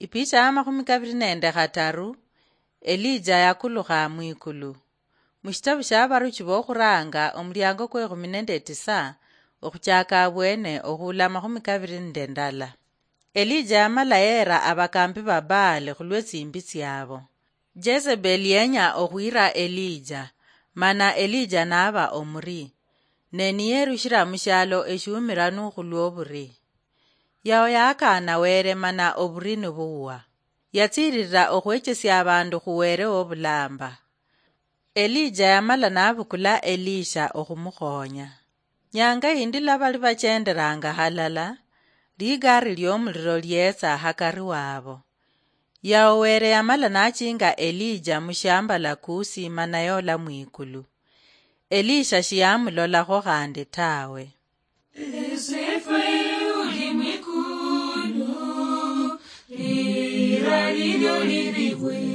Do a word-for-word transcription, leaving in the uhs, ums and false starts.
Ipicha ya makhumi kabiri nende khataru. Elija yakulukha mwikulu. Mushitabu shia Abaruchi bokhuranga, omuliango kwe ekhumi nende tisa, okhuchaka abwene okhula makhumi kabiri nende ndala. Elija yamala yeera abakambi ba Baali khulwe tsimbi tsiabo. Jezebeli yenya okhwira Elija, mana Elija naba omuri, ne niyerushira mushialo eshiumiranu khulwoburi. Yao yaakaana Wele mana oburi nibuwa. Yatsiirira okhwechesia abandu khu Wele wobulamba. Elija yamala nabukula Elisha okhumukhonya. Nyanga yindi lwa bali bachenderanga halala, ligari liomuliro lietsa hakari wabo. Yao Wele yamala nachinga Elija mushiambala Kusi mana yola mwikulu. Elisha shiyamulolakho khandi tawe. Ese fwe uli mwikulu, lira lilyo liribwe.